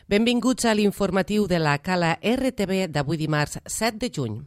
Benvinguts a l'informatiu de la Cala RTV d'avui dimarts 7 de juny.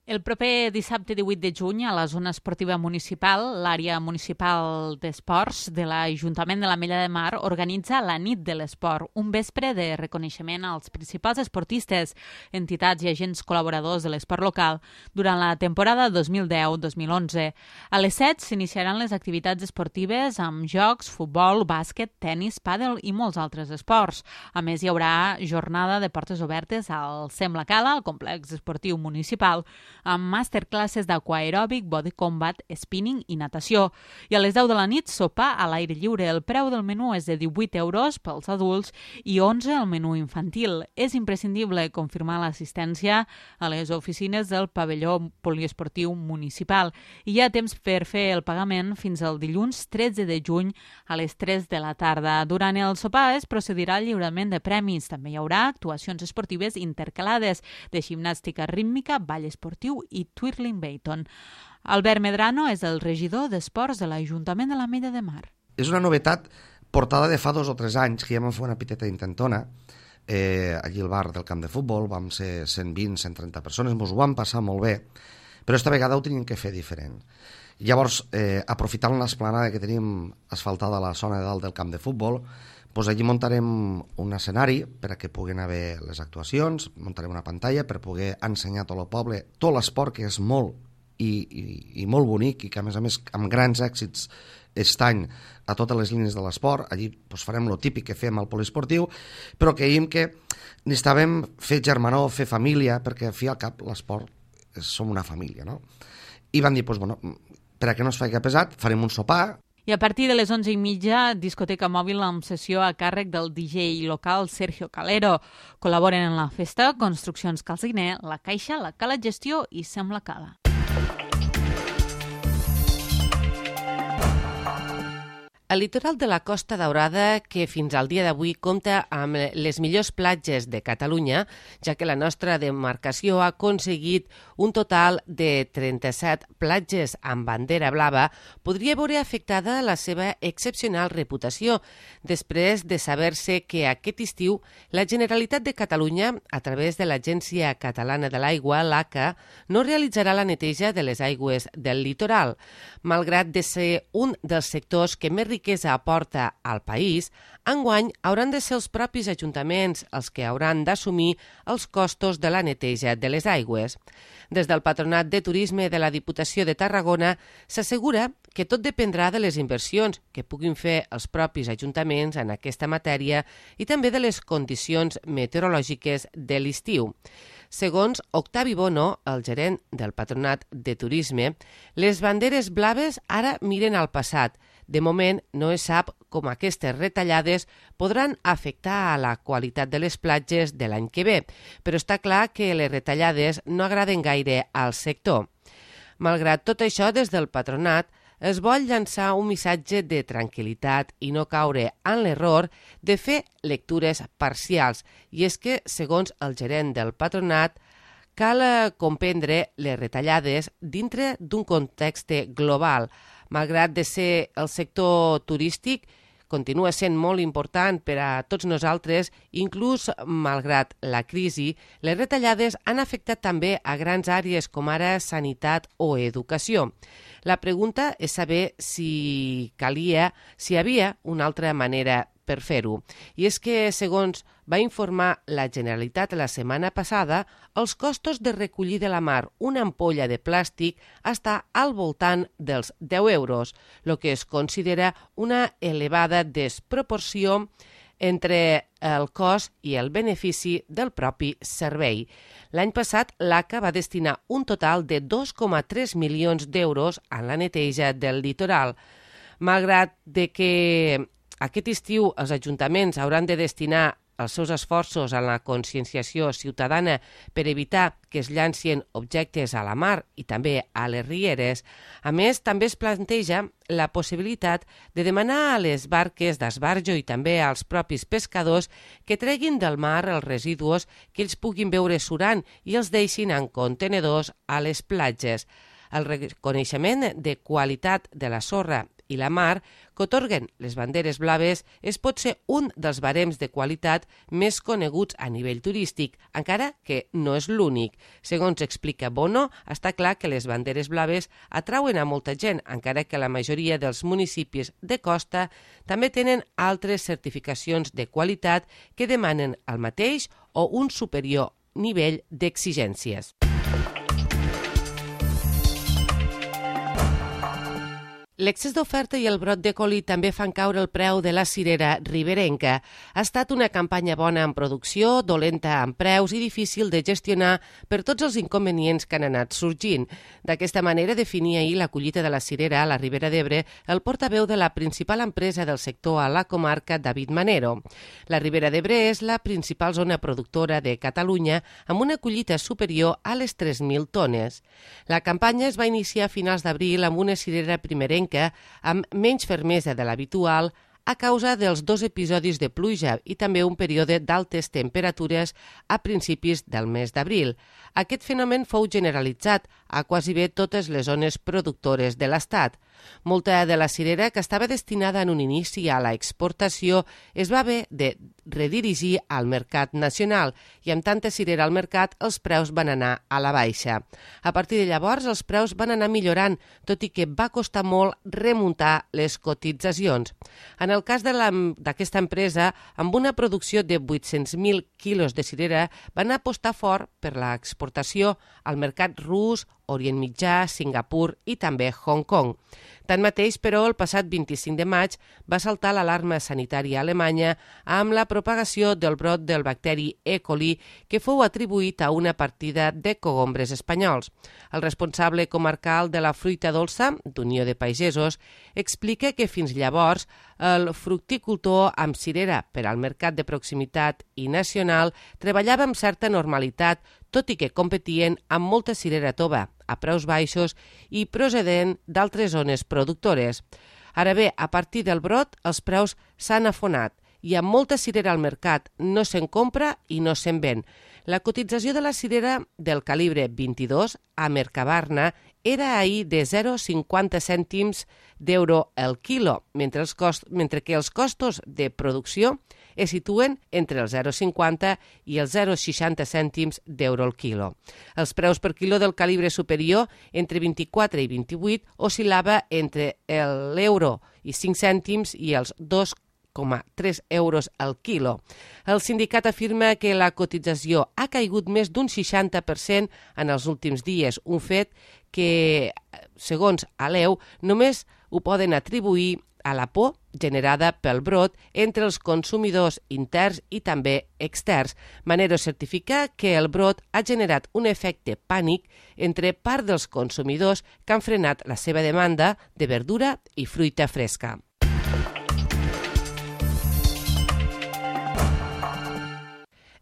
El proper dissabte 18 de juny a la zona esportiva municipal, l'àrea municipal d'esports de l'Ajuntament de l'Ametlla de Mar organitza la Nit de l'Esport, un vespre de reconeixement als principals esportistes, entitats i agents col·laboradors de l'esport local durant la temporada 2010-2011. A les 7 s'iniciaran les activitats esportives amb jocs, futbol, bàsquet, tenis, pàdel i molts altres esports. A més, hi haurà jornada de portes obertes al SEM La Cala, al complex esportiu municipal, amb masterclasses d'aquaeròbic, body combat, spinning i natació. I a les 10 de la nit, sopar a l'aire lliure. El preu del menú és de 18 euros pels adults i 11 el menú infantil. És imprescindible confirmar l'assistència a les oficines del pavelló poliesportiu municipal. I hi ha temps per fer el pagament fins al dilluns 13 de juny a les 3 de la tarda. Durant el sopar es procedirà al lliurament de premis. També hi haurà actuacions esportives intercalades de gimnàstica rítmica, ball esportiu i twirling Bayton. Albert Medrano és el regidor d'Esports de l'Ajuntament de l'Ametlla de Mar. És una novetat portada de fa 2 o 3 anys, que ja vam fer una petita intentona, allí al bar del camp de futbol, vam ser 120, 130 persones, ens ho vam passar molt bé, però esta vegada ho teníem que fer diferent. Llavors, aprofitant l'esplanada que tenim asfaltada a la zona de dalt del camp de futbol, doncs allí muntarem un escenari per a que puguin haver les actuacions, muntarem una pantalla per poder ensenyar a tot el poble tot l'esport, que és molt i molt bonic i que a més amb grans èxits aquest any a totes les línies de l'esport. Allí doncs, farem el típic que fem al poliesportiu, però creiem que necessitàvem fer germanor, fer família, perquè al fi al cap l'esport som una família, no? I vam dir, doncs, bueno, per a que no es faci pesat, farem un sopar. I a partir de les 11:30, discoteca mòbil amb sessió a càrrec del DJ local Sergio Calero. Col·laboren en la festa Construccions Calciner, La Caixa, la Cala Gestió i SEM La Cala. El litoral de la Costa Daurada, que fins al dia d'avui compta amb les millors platges de Catalunya, ja que la nostra demarcació ha aconseguit un total de 37 platges amb bandera blava, podria veure afectada la seva excepcional reputació, després de saber-se que aquest estiu la Generalitat de Catalunya, a través de l'Agència Catalana de l'Aigua, l'ACA, no realitzarà la neteja de les aigües del litoral. Malgrat de ser un dels sectors que més riquesa aporta al país, enguany hauran de ser els propis ajuntaments els que hauran d'assumir els costos de la neteja de les aigües. Des del Patronat de Turisme de la Diputació de Tarragona s'assegura que tot dependrà de les inversions que puguin fer els propis ajuntaments en aquesta matèria i també de les condicions meteorològiques de l'estiu. Segons Octavi Bono, el gerent del Patronat de Turisme, les banderes blaves ara miren al passat. De moment no es sap com aquestes retallades podran afectar a la qualitat de les platges de l'any que ve, però està clar que les retallades no agraden gaire al sector. Malgrat tot això, des del patronat es vol llançar un missatge de tranquil·litat i no caure en l'error de fer lectures parcials. I és que, segons el gerent del patronat, cal comprendre les retallades dintre d'un context global. Malgrat de ser el sector turístic, continua sent molt important per a tots nosaltres, inclús malgrat la crisi, les retallades han afectat també a grans àrees com ara sanitat o educació. La pregunta és saber si hi havia una altra manera per fer-ho. I és que, segons va informar la Generalitat la setmana passada, els costos de recollir de la mar una ampolla de plàstic està al voltant dels 10 euros, el que es considera una elevada desproporció entre el cost i el benefici del propi servei. L'any passat, l'ACA va destinar un total de 2,3 milions d'euros a la neteja del litoral. Malgrat de que aquest estiu els ajuntaments hauran de destinar els seus esforços en la conscienciació ciutadana per evitar que es llancin objectes a la mar i també a les rieres. A més, també es planteja la possibilitat de demanar a les barques d'esbarjo i també als propis pescadors que treguin del mar els residus que ells puguin veure surant i els deixin en contenedors a les platges. El reconeixement de qualitat de la sorra i la mar que otorguen les banderes blaves és potser un dels barems de qualitat més coneguts a nivell turístic, encara que no és l'únic. Segons explica Bono, està clar que les banderes blaves atrauen a molta gent, encara que la majoria dels municipis de costa també tenen altres certificacions de qualitat que demanen el mateix o un superior nivell d'exigències. L'excés d'oferta i el brot de coli també fan caure el preu de la cirera riberenca. Ha estat una campanya bona en producció, dolenta en preus i difícil de gestionar per tots els inconvenients que han anat sorgint. D'aquesta manera definia ahir la collita de la cirera a la Ribera d'Ebre el portaveu de la principal empresa del sector a la comarca, David Manero. La Ribera d'Ebre és la principal zona productora de Catalunya amb una collita superior a les 3.000 tones. La campanya es va iniciar a finals d'abril amb una cirera primerenca amb menys fermesa de l'habitual a causa dels 2 episodis de pluja i també un període d'altes temperatures a principis del mes d'abril. Aquest fenomen fou generalitzat a quasi bé totes les zones productores de l'Estat. Molta de la cirera que estava destinada en un inici a la exportació es va haver de redirigir al mercat nacional i amb tanta cirera al mercat els preus van anar a la baixa. A partir de llavors els preus van anar millorant, tot i que va costar molt remuntar les cotitzacions. En el cas d'aquesta empresa, amb una producció de 800.000 quilos de cirera, van apostar fort per l'exportació al mercat rus, Orient Mitjà, Singapur i també Hong Kong. Tanmateix, però, el passat 25 de maig va saltar l'alarma sanitària alemanya amb la propagació del brot del bacteri E. coli que fou atribuït a una partida de cogombres espanyols. El responsable comarcal de la fruita dolça, d'Unió de Pagesos, explica que fins llavors el fructicultor amb cirera per al mercat de proximitat i nacional treballava amb certa normalitat, tot i que competien amb molta cirera tova, a preus baixos i procedent d'altres zones productores. Ara bé, a partir del brot, els preus s'han afonat i amb molta cirera al mercat no se'n compra i no se'n ven. La cotització de la cirera del calibre 22 a Mercabarna era ahir de 0,50 cèntims d'euro el quilo, mentre que els costos de producció es situen entre el 0,50 i els 0,60 cèntims d'euro el quilo. Els preus per quilo del calibre superior, entre 24 i 28, oscil·lava entre l'euro i 5 cèntims i els 2,3 euros al quilo. El sindicat afirma que la cotització ha caigut més d'un 60% en els últims dies, un fet que, segons Aleu, només ho poden atribuir a la por generada pel brot entre els consumidors interns i també externs. Manero certifica que el brot ha generat un efecte pànic entre part dels consumidors que han frenat la seva demanda de verdura i fruita fresca.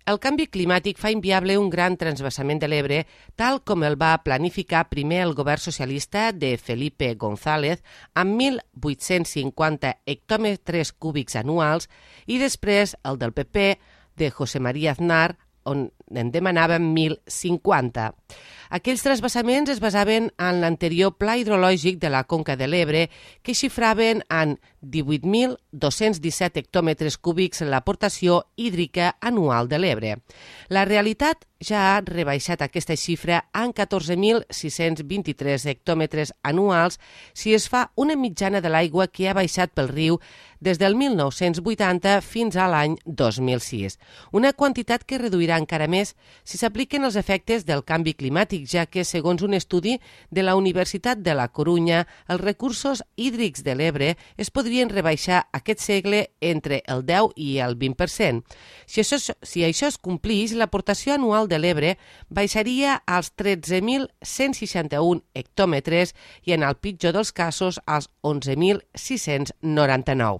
El canvi climàtic fa inviable un gran transvasament de l'Ebre, tal com el va planificar primer el govern socialista de Felipe González amb 1.850 hectòmetres cúbics anuals i després el del PP de José María Aznar, on en demanaven 1.050. Aquells transvasaments es basaven en l'anterior pla hidrològic de la Conca de l'Ebre, que xifraven en 18.217 hectòmetres cúbics l'aportació hídrica anual de l'Ebre. La realitat ja ha rebaixat aquesta xifra en 14.623 hectòmetres anuals si es fa una mitjana de l'aigua que ha baixat pel riu des del 1980 fins a l'any 2006. Una quantitat que reduirà encara més si s'apliquen els efectes del canvi climàtic, ja que, segons un estudi de la Universitat de la Corunya, els recursos hídrics de l'Ebre es podrien rebaixar aquest segle entre el 10 i el 20%. Si això es complís, l'aportació anual de l'Ebre baixaria als 13.161 hectòmetres i, en el pitjor dels casos, als 11.699.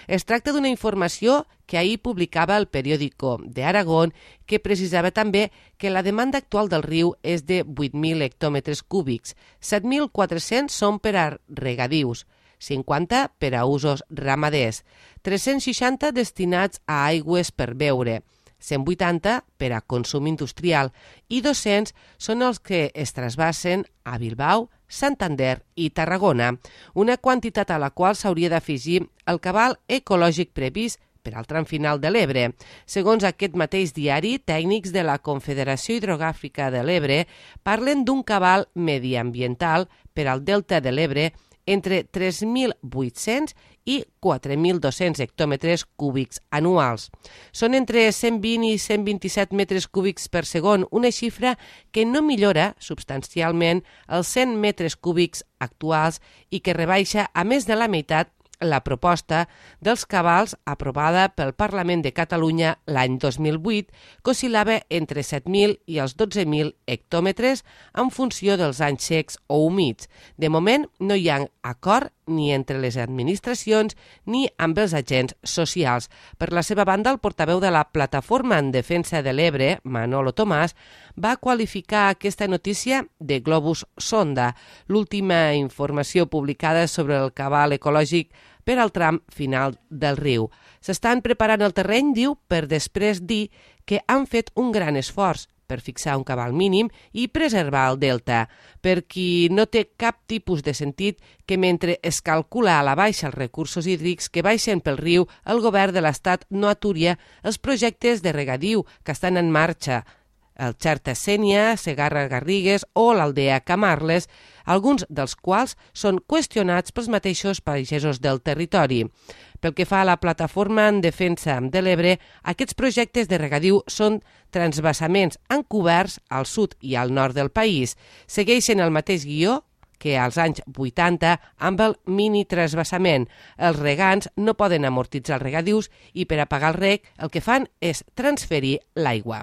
Es tracta d'una informació que ahir publicava el periòdico de Aragón, que precisava també que la demanda actual del riu és de 8.000 hectòmetres cúbics, 7.400 són per a regadius, 50 per a usos ramaders, 360 destinats a aigües per beure, 180 per a consum industrial i 200 són els que es trasbassen a Bilbao, Santander i Tarragona, una quantitat a la qual s'hauria d'afegir el cabal ecològic previst per al tram final de l'Ebre. Segons aquest mateix diari, tècnics de la Confederació Hidrogràfica de l'Ebre parlen d'un cabal mediambiental per al delta de l'Ebre entre 3.800 i 4.200 hectòmetres cúbics anuals. Són entre 120 i 127 metres cúbics per segon, una xifra que no millora substancialment els 100 metres cúbics actuals i que rebaixa a més de la meitat la proposta dels cabals aprovada pel Parlament de Catalunya l'any 2008, que oscil·lava entre 7.000 i els 12.000 hectòmetres en funció dels anys secs o humits. De moment no hi ha acord ni entre les administracions ni amb els agents socials. Per la seva banda, el portaveu de la Plataforma en Defensa de l'Ebre, Manolo Tomàs, va qualificar aquesta notícia de globus sonda, l'última informació publicada sobre el cabal ecològic per al tram final del riu. S'estan preparant el terreny, diu, per després dir que han fet un gran esforç per fixar un cabal mínim i preservar el delta, per qui no té cap tipus de sentit que mentre es calcula a la baixa els recursos hídrics que baixen pel riu, el govern de l'Estat no aturia els projectes de regadiu que estan en marxa, el Xerta Sénia, Segarra Garrigues o l'Aldea Camarles, alguns dels quals són qüestionats pels mateixos pagesos del territori. Pel que fa a la Plataforma en Defensa de l'Ebre, aquests projectes de regadiu són transvasaments encoberts al sud i al nord del país. Segueixen el mateix guió que als anys 80 amb el mini-transvasament. Els regants no poden amortitzar els regadius i per a pagar el reg el que fan és transferir l'aigua.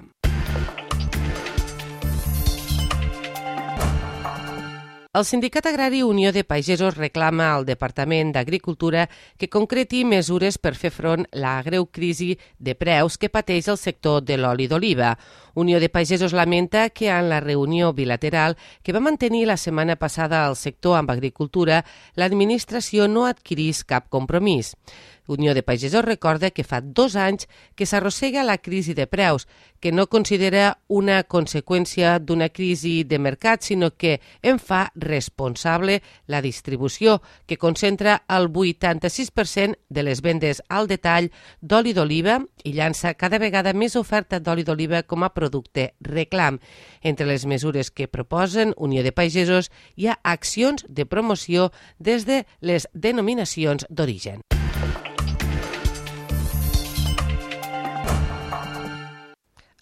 El Sindicat Agrari Unió de Pagesos reclama al Departament d'Agricultura que concreti mesures per fer front a la greu crisi de preus que pateix el sector de l'oli d'oliva. Unió de Pagesos lamenta que en la reunió bilateral que va mantenir la setmana passada el sector amb agricultura, l'administració no adquirís cap compromís. Unió de Pagesos recorda que fa 2 anys que s'arrossega la crisi de preus, que no considera una conseqüència d'una crisi de mercat, sinó que en fa responsable la distribució, que concentra el 86% de les vendes al detall d'oli d'oliva i llança cada vegada més oferta d'oli d'oliva com a producte reclam. Entre les mesures que proposen Unió de Pagesos hi ha accions de promoció des de les denominacions d'origen.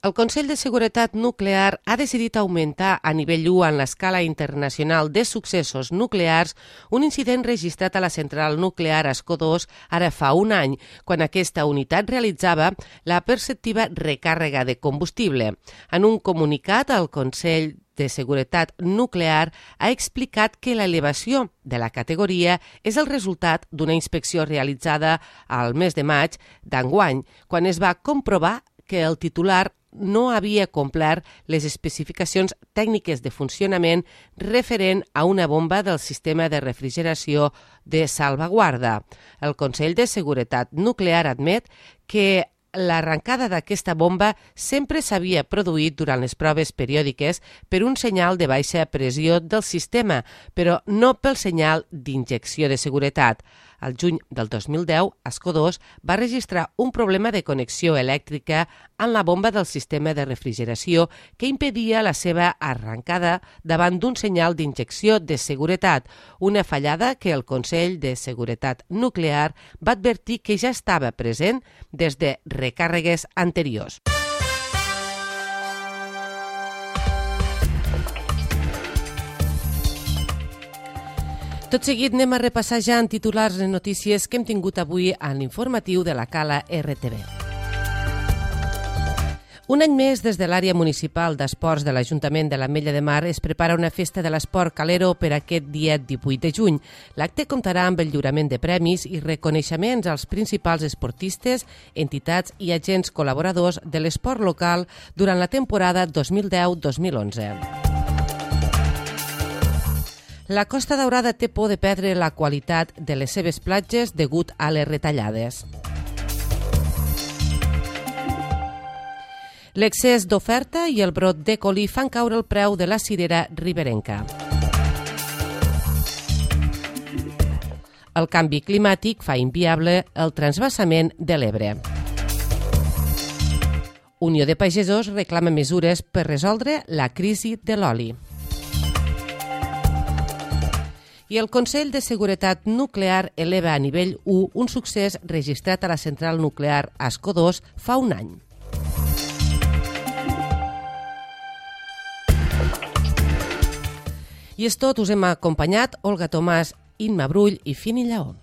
El Consell de Seguretat Nuclear ha decidit augmentar a nivell 1 en l'escala internacional de successos nuclears un incident registrat a la central nuclear Escó-2 ara fa un any, quan aquesta unitat realitzava la perceptiva recàrrega de combustible. En un comunicat, el Consell de Seguretat Nuclear ha explicat que l'elevació de la categoria és el resultat d'una inspecció realitzada al mes de maig d'enguany, quan es va comprovar que el titular no havia complert les especificacions tècniques de funcionament referent a una bomba del sistema de refrigeració de salvaguarda. El Consell de Seguretat Nuclear admet que l'arrencada d'aquesta bomba sempre s'havia produït durant les proves periòdiques per un senyal de baixa pressió del sistema, però no pel senyal d'injecció de seguretat. Al juny del 2010, Escó-2 va registrar un problema de connexió elèctrica en la bomba del sistema de refrigeració que impedia la seva arrencada davant d'un senyal d'injecció de seguretat, una fallada que el Consell de Seguretat Nuclear va advertir que ja estava present des de recàrregues anteriors. Tot seguit anem a repassar ja en titulars les notícies que hem tingut avui en l'informatiu de la Cala RTV. Un any més, des de l'àrea municipal d'esports de l'Ajuntament de l'Ametlla de Mar es prepara una festa de l'esport calero per aquest dia 18 de juny. L'acte comptarà amb el lliurament de premis i reconeixements als principals esportistes, entitats i agents col·laboradors de l'esport local durant la temporada 2010-2011. La Costa Daurada té por de perdre la qualitat de les seves platges degut a les retallades. L'excés d'oferta i el brot de colí fan caure el preu de la cirera riberenca. El canvi climàtic fa inviable el transvasament de l'Ebre. Unió de Pagesos reclama mesures per resoldre la crisi de l'oli. I el Consell de Seguretat Nuclear eleva a nivell 1 un succés registrat a la central nuclear Ascó 2 fa un any. I és tot, us hem acompanyat Olga Tomàs, Imma Brull i Fini Lleó.